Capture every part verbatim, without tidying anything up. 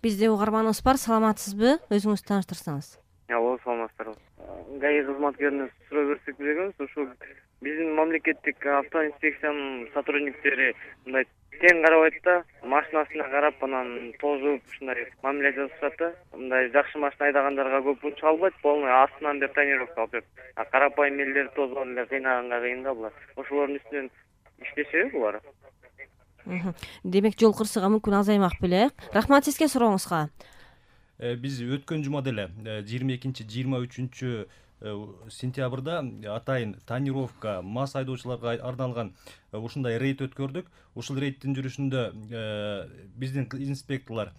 Бизде угарманыбыз бар, саламатсызбы? Өзүңүздү тааныштырсаңыз. Алло, саламатсыздарбы. ГАИ кызматкерине суроо берсек белебиз, ушу биздин мамлекеттик автоинспекциянын сотрудниктери мындай тең карабайт да, машинасына карап, анан тожуп, ушундай мамиле жасашат да. Мындай жакшы машина айдагандарга көп унча албайт, полный астынан бери тонировка алып берет. А карапайым элдер тозуп эле кыйнаганга кыйын да булар. Ошолордун үстүнөн иштешеби булар? Демек жол кырсыгы мүмкүн азаймак беле. Рахмат сизге сурооңузга. Биз өткөн жумада эле жыйырма экинчи жыйырма үчүнчү сентябрда атайын тонировка мас айдоочуларга арналган ушундай рейд өткөрдүк. Ушул рейдтин жүрүшүндө биздин инспекторлор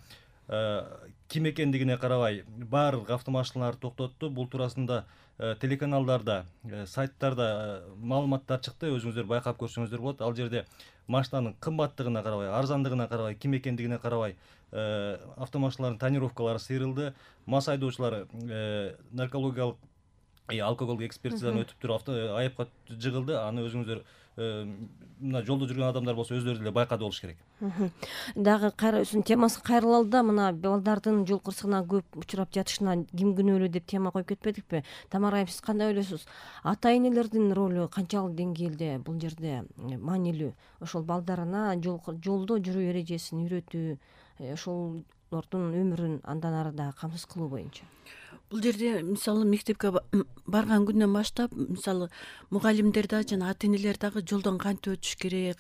ким экендигине карабай баардык автомашиналарды токтотту. Бул туурасында телеканалдарда, сайттарда маалыматтар чыкты. Өзүңүздөр байкап көрсөңүздөр болот. Ал жерде машинанын кымбаттыгына карабай, арзандыгына карабай, ким экендигине карабай автомашиналардын тонировкалары сыйрылды. Мас айдоочулар наркологиялык алкоголдук экспертизадан өтүп туруп айыпка жыгылды. Аны өзүңүздөр мына жолдо жүргөн адамдар болсо өздөрү деле байкады болуш керек. Дагы кайрысың темасы кайрылалы да, мына балдардын жол кырсыгына көп учурап жатышына ким күнөөлүү деп тема коюп кетпедикпи? Тамара айым, сиз кандай ойлойсуз? Ата энелердин ролу канчалык деңгээлде бул жерде маанилүү? Ошол балдарына жолдо жүрүү эрежесин үйрөтүү, ошолордун өмүрүн андан ары да камсыз кылуу боюнча. Бул жерде мисалы мектепке барган күндөн баштап мисалы мугалимдер да жана ата энелер дагы жолдон кантип өтүш керек,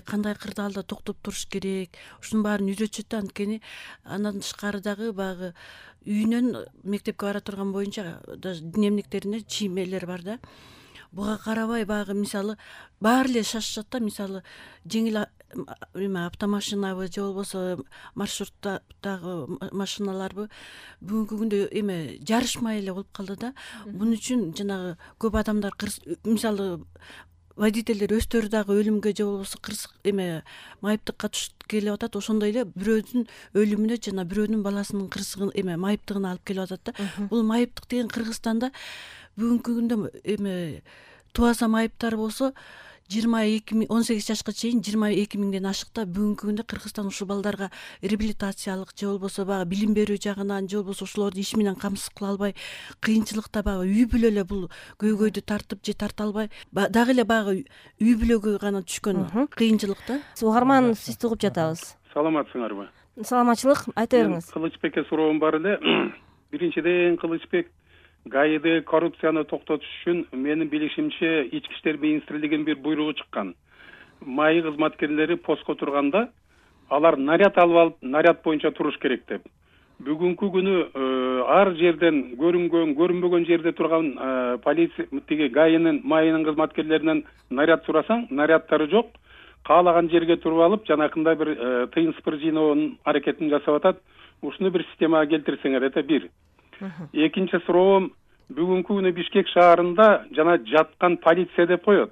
кандай кырдаалда токтоп туруш керек, ушунун баарын үйрөтүшөт да. Анткени андан тышкары дагы баягы үйүнөн мектепке бара турган боюнча даже дневниктеринде чиймелер бар да. Буга карабай баягы мисалы баары эле шашышат да. Мисалы жеңил эме автомашинабы же болбосо маршруттагы машиналарбы бүгүнкү күндө эме жарышмай эле болуп калды да. Бунун үчүн жанагы көп адамдар мисалы водительдер өздөрү дагы өлүмгө же болбосо кырсык эме майыптыкка түшүп келип атат. Ошондой эле бирөөдүн өлүмүнө жана бирөөнүн баласынын кырсыгын эме майыптыгына алып келип атат да. Бул майыптык деген Кыргызстанда бүгүнкү күндө эме тубаса майыптар болсо жыйырма эки миң он сегиз жашка чейин жыйырма эки миңден ашык да. Бүгүнкү күндө Кыргызстан ушул балдарга реабилитациялык же болбосо баягы билим берүү жагынан же болбосо ошолорду иш менен камсыз кыла албай кыйынчылыкта баягы үй бүлө эле бул көйгөйдү тартып же тарта албай дагы эле баягы үй бүлөгө гана түшкөн кыйынчылыкта. Угарман, сизди угуп жатабыз. Саламатсыңарбы? Саламатчылык, айта бериңиз. Кылычбекке суроом бар эле. Биринчиден, Кылычбек ГАИде коррупцияны токтотуш үчүн менин билишимче Ички иштер министрлигинин бир буйругу чыккан. Маи кызматкерлери постко турганда алар наряд алып алып, наряд боюнча туруш керек деп. Бүгүнкү күнү ар жерден көрүнгөн, көрүнбөгөн жерде турган полиция тиги ГАИнин, Маинин кызматкерлеринен наряд сурасаң, наряддары жок. Каалаган жерге туруп алып, жанакында бир тыйын сыпыр жыйноонун аракетин жасап атат. Ушуну бир системага келтирсеңер, это бир. Экинчи суроом, бүгүнкү күнү Бишкек шаарында жана жаткан полиция деп коет.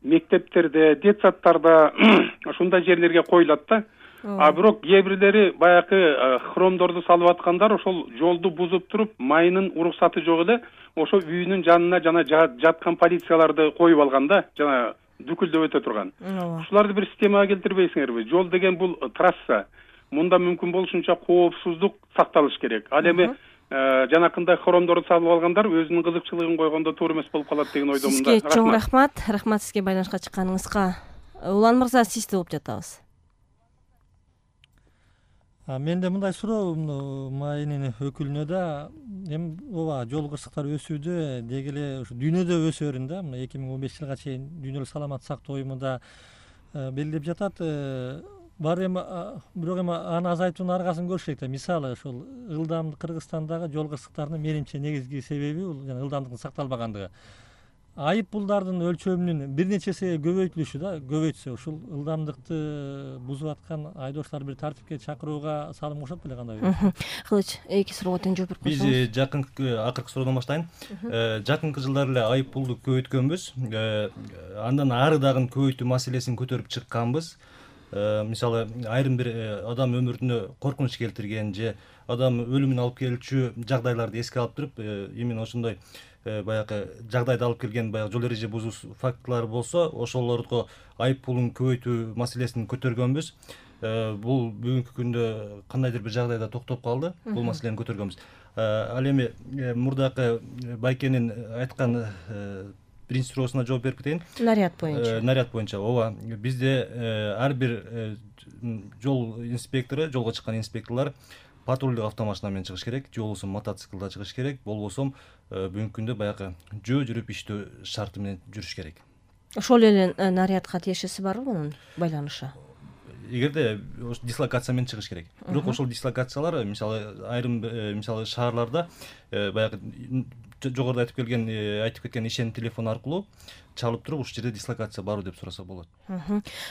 Мектептерде, детсадтарда ушундай жерлерге коюлат да. А бирок кээ бирлери баягы хромдорду салып аткандар ошол жолду бузуп туруп, Майынын уруксаты жок эле, ошо үйүнүн жанына жана жаткан полицияларды коюп алган да, жана дүкүлдөп өтө турган. Ушуларды бир системага келтирбейсиңерби? Жол деген бул трасса. Мында мүмкүн болушунча коопсуздук сакталыш керек. Ал эми жанакындай хромдорду салып алгандар өзүнүн кызыкчылыгын койгондо туура эмес болуп калат деген ойдомун да. Сизге чоң рахмат. Рахмат сизге байланышка чыкканыңызга. Улан мырза, сизди угуп жатабыз. Менде мындай суроо Маинин өкүлүнө да, эми ооба жол кырсыктары өсүүдө, деги эле ушу дүйнөдө өсө берин да. Мына эки миң он беш жылга чейин дүйнөлүк саламаттык сактоо уюмунда белгилеп жатат. Бар эми бирок эми аны азайтуунун аргасын көрүш керек да. Мисалы ошол ылдамдык Кыргызстандагы жол кырсыктарынын менимче негизги себеби бул жана ылдамдыктын сакталбагандыгы. Айып пулдардын өлчөмүнүн бир нече эсе көбөйтүлүшү да, көбөйтсө ушул ылдамдыкты бузуп аткан айдоочуларды бир тартипке чакырууга салым кошот беле, кандай? Кылыч, эки суроого тең жооп берип койсоңуз. Биз жакынкы акыркы суроодон баштайын. Жакынкы жылдары эле айып пулду көбөйткөнбүз. Андан ары дагы көбөйтүү маселесин көтөрүп чыкканбыз. Мисалы айрым бир адам өмүрүнө коркунуч келтирген же адам өлүмүн алып келчү жагдайларды эске алып туруп, именно ошондой баягы жагдайды алып келген баягы жол эреже бузуу фактылары болсо, ошолорго айып пулун көбөйтүү маселесин көтөргөнбүз. бул бүгүнкү күндө кандайдыр бир жагдайда токтоп калды, бул маселени көтөргөнбүз. Ал эми мурдакы Байкенин айткан биринчи суроосуна жооп берип кетейин. Наряд боюнча. Наряд боюнча ооба, бизде ар бир жол инспектору, жолго чыккан инспекторлор патрулдук автомашина менен чыгыш керек, же болбосо мотоциклда чыгыш керек, болбосо бүгүнкү күндө баягы жөө жүрүп иштөө шарты менен жүрүш керек. Ошол эле нарядка тиешеси барбы мунун байланышы? Эгерде дислокация менен чыгыш керек. Бирок ошол дислокациялар мисалы айрым мисалы шаарларда баягы жогоруда айтып келген айтып кеткен ишеним телефону аркылуу чалып туруп ушул жерде дислокация барбы деп сураса болот.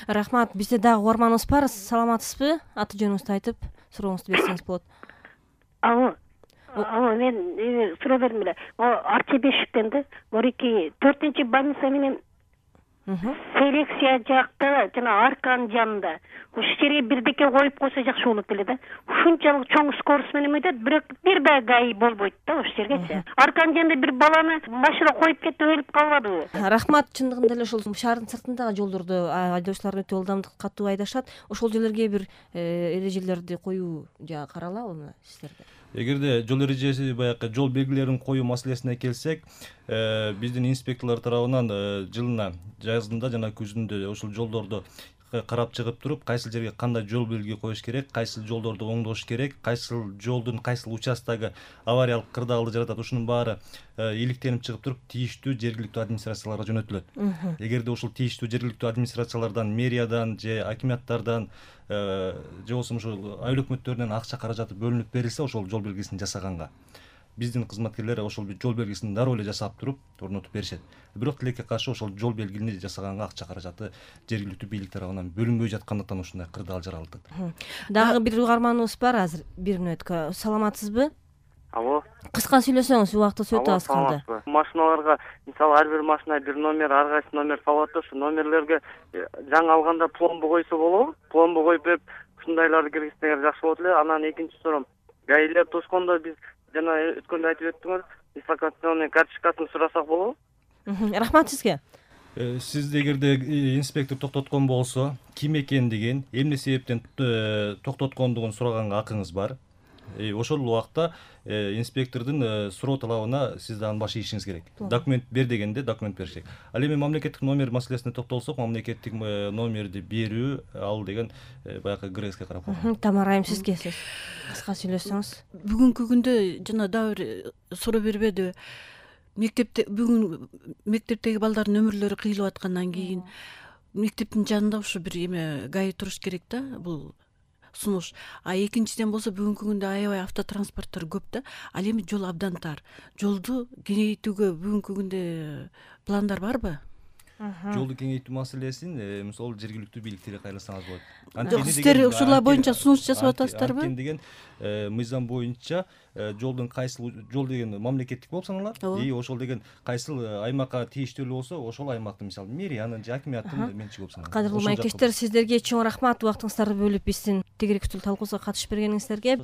Рахмат. Бизде дагы угарманыбыз бар. Саламатсызбы? Аты жөнүңүздү айтып сурооңузду берсеңиз болот. Алло. Алло, мен суроо бердим эле. Арчебешиктен да мурики төртүнчү больница менен селекция жакта жана арканын жанында ушул жерге бирдеке коюп койсо жакшы болот эле да. Ушунчалык чоң скорость менен өтөт, бирок бир да гаи болбойт да ушул жергечи. Арканын жанында бир баланы машина коюп кетип өлүп калбадыбы? Рахмат. Чындыгында эле ушул шаардын сыртындагы жолдорду айдоочулар өтө ылдамдыкты катуу айдашат. Ошол жерлерге бир эрежелерди коюу жагы каралабы сиздерде? Эгерде жол эрежеси баягы жол белгилерин коюу маселесине келсек, биздин инспекторлор тарабынан жылына жазында жана күзүндө ошол жолдорду карап чыгып туруп, кайсыл жерге кандай жол белги коюш керек, кайсыл жолдорду оңдош керек, кайсыл жолдун кайсыл участтагы авариялык кырдаалды жаратат, ушунун баары иликтенип чыгып туруп тийиштүү жергиликтүү администрацияларга жөнөтүлөт. Эгерде ушул тийиштүү жергиликтүү администрациялардан, мэриядан же акиматтардан же болбосо ушул айыл өкмөттөрүнөн акча каражаты бөлүнүп берилсе, ошол жол белгисин жасаганга биздин кызматкерлер ошол жол белгисин дароо эле жасап туруп орнотуп беришет. Бирок тилекке каршы ошол жол белгини жасаганга акча каражаты жергиликтүү бийлик тарабынан бөлүнбөй жаткандыктан ушундай кырдаал жаралды. Дагы бир угарманыбыз бар азыр, бир мүнөткө. Саламатсызбы? Алло. Кыска сүйлөсөңүз, убактыбыз өтө аз калды. Машиналарга мисалы ар бир машина бир номер, ар кайсы номер калат да, ошо номерлерге жаңы алганда пломба койсо болобу? Пломба коюп берип, ушундайларды киргизсеңер жакшы болот эле. Анан экинчи суроом, гаилер тошкондо биз жана өткөндө айтып өттүңүз, дислокационный карточкасын сурасак болобу? Рахмат сизге. Сиз эгерде инспектор токтоткон болсо, ким экендигин, эмне себептен токтоткондугун сураганга акыңыз бар. Ошол убакта инспектордун суроо талабына сиз дагы баш ийишиңиз керек. Документ бер дегенде документ бериш керек. Ал эми мамлекеттик номер маселесине токтолсок, мамлекеттик номерди берүү, ал деген баягы ГРСке карап койгон. Тамара айым, сизге сөз. Кыска сүйлөсөңүз. Бүгүнкү күндө жана дагы бир суроо бербедиби? Мектепте бүгүн мектептеги балдардын өмүрлөрү кыйылып аткандан кийин мектептин жанында ушу бир эме гаи туруш керек да, бул сунуш. А экинчиден болсо бүгүнкү күндө аябай автотранспорттор көп да, ал эми жол абдан тар. Жолду кеңейтүүгө бүгүнкү күндө пландар барбы? Жолду кеңейтүү маселесин мисалы жергиликтүү бийликтерге кайрылсаңыз болот. Жок, сиздер ушулар боюнча сунуш жасап атасыздарбы? Анткени деген мыйзам боюнча жолдун кайсыл жол деген мамлекеттик болуп саналат, и ошол деген кайсыл аймакка тийиштүү болсо, ошол аймактын мисалы мэриянын же акиматтын менчиги болуп саналат. Кадырлуу маектештер, сиздерге чоң рахмат убактыңыздарды бөлүп биздин тегеректүү талкуубузга катышып бергениңиздерге.